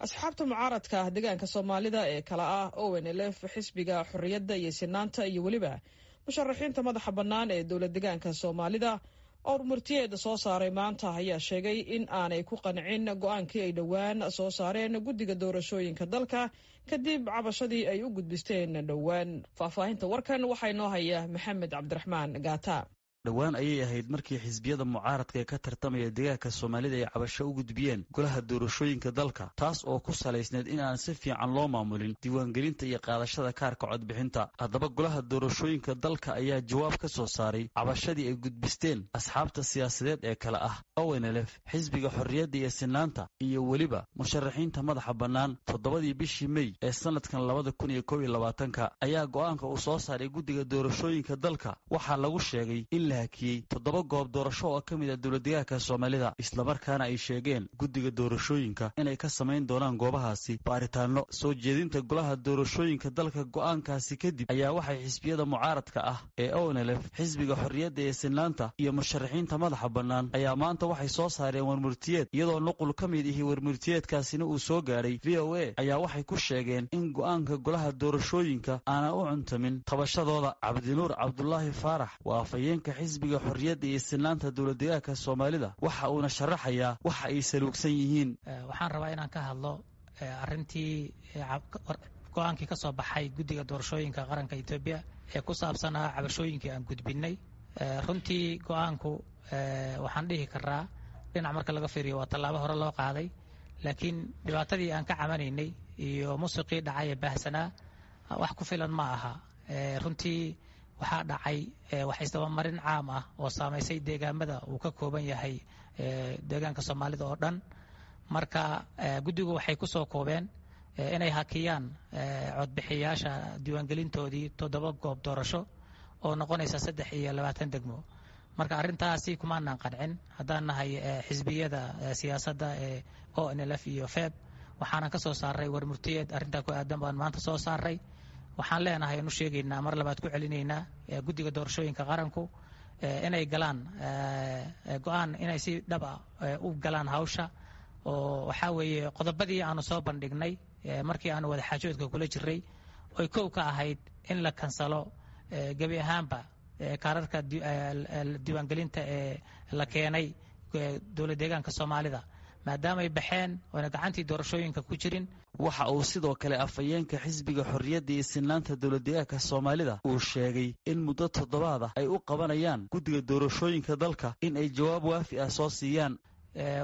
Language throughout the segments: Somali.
Asxaabta mucaaradka ah deegaanka Soomaalida ee kala ah ONLF, Xisbiga Xorriyadda iyo Sinaanta iyo weliba musharaxiinta madaxa bannaan ee dowlad deegaanka Soomaalida oo murtiyeeda soo saaray maanta ayaa sheegay in aanay ku qancin go-aankii ay dhowaan soo saareen guddiga doorashooyinka dalka kadib cabashadii ay u gudbisteen dhowaan. Faahfaahinta warkan waxaa inoo haya Maxamed Cabdiraxmaan Gaata. Dhowaan ayay ahayd markii xisbiyada mucaaradka ee ka tartamaya deegaanka Soomaalida ay cabasho u gudbiyeen golaha doorashooyinka dalka, taas oo ku salaysneed in aan si fiican loo maamulin diiwaangelinta iyo qaadashada kaarka codbixinta. Haddaba, golaha doorashooyinka dalka ayaa jawaab ka soo saaray cabashadii ay gudbisteen asxaabta siyaasadeed ee kale ah ONLF, Xisbiga Xorriyadda iyo Sinaanta iyo weliba musharaxiinta madaxa bannaan. 7dii bishii Mey ee sanadkan 2021-ka ayaa go'aanka uu soo saaray guddiga doorashooyinka dalka waxaa lagu sheegay in la hakiyey 7 goob doorasho oo ka mid ah dowladdeegaanka Soomaalida, islamarkaana ay sheegeen guddiga doorashooyinka inay ka samayn doonaan goobahaasi baaritaanno. Soo jeedinta golaha doorashooyinka dalka go'aankaasi kadib ayaa waxay xisbiyada mucaaradka ah ee ONLF, Xisbiga Xorriyadda ee Sinaanta iyo musharaxiinta madaxa bannaan ayaa maanta waxay soo saareen warmurtiyeed, iyadoo nuqul ka mid ihi warmurtiyeedkaasina uu soo gaadhay VOA, ayaa waxay ku sheegeen in go'aanka golaha doorashooyinka aanan u cuntamin tabashadooda. Cabdinuur Cabdulaahi Faarax waa afhayeenka Xisbiga Xorriyadda iyo Sinaanta dowladdeegaanka Soomaalida, waxa uuna sharaxayaa waxa ay saluugsan yihiin. Waxaan rabaa inaan ka hadlo arrintii go-aankii ka soo baxay guddiga doorashooyinka qaranka Etoobiya ee ku saabsanaa cabashooyinkii aan gudbinay. Runtii go-aanku waxaan dhihi karaa dhinac marka laga fiiriyo waa tallaabo hore loo qaaday, laakiin dhibaatadii aan ka cabanaynay iyo musiqii dhacay ee baahsanaa wax ku filan ma aha. Runtii waxaa dhacay wax isdabamarin caam ah oo saamaysay deegaamada uu ka kooban yahay deegaanka Soomaalida oo dhan. Marka guddigu waxay ku soo koobeen inay hakiyaan codbixiyaasha diiwaangelintoodii 7 goob doorasho oo noqonaysa 23 degmo. Marka arrintaasi kumaanaan qancin haddaan nahay xisbiyada siyaasadda ee ONLF iyo FEB. Waxaanan ka soo saaray warmurtiyeed arrintaa ku aadan baan maanta soo saaray. Waxaan leenahay anu sheegaynaa, mar labaad ku celinaynaa, guddiga doorashooyinka qaranku inay galaan go-aan, inay si dhab ah u galaan hawsha, oo waxaa weeye qodobadii aanu soo bandhignay markii aanu wadaxaajoodka kula jiray oy kow ka ahayd in la kansalo gebi ahaanba kaararka diiwaangelinta ee la keenay dowlad deegaanka Soomaalida maadaamay baxeen oona gacantii doorashooyinka ku jirin. Waxa uu sidoo kale afhayeenka Xisbiga Xorriyadda iyo Sinaanta dowladdeegaanka Soomaalida uu sheegay in muddo toddobaad ah ay u qabanayaan guddiga doorashooyinka dalka in ay jawaab waafi ah soo siiyaan.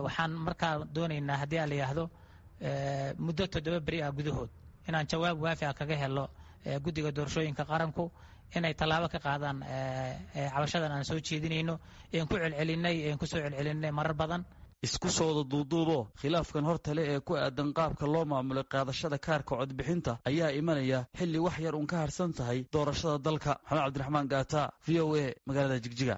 Waxaan markaa doonaynaa haddii aan la yidhaahdo muddo 7 beri ah gudahood inaan jawaab waafi ah kaga helo guddiga doorashooyinka qaranku inay tallaabo ka qaadaan cabashadan aan soo jeedinayno een ku celcelinay een kusoo celcelinay marar badan. Isku soo wada duuduubo, khilaafkan hortale ee ku aadan qaabka loo maamulay qaadashada kaarka codbixinta ayaa imanaya xilli wax yar uun ka harsan tahay doorashada dalka. Maxamed Cabdiraxmaan Gaata, VOA, magaalada Jigjiga.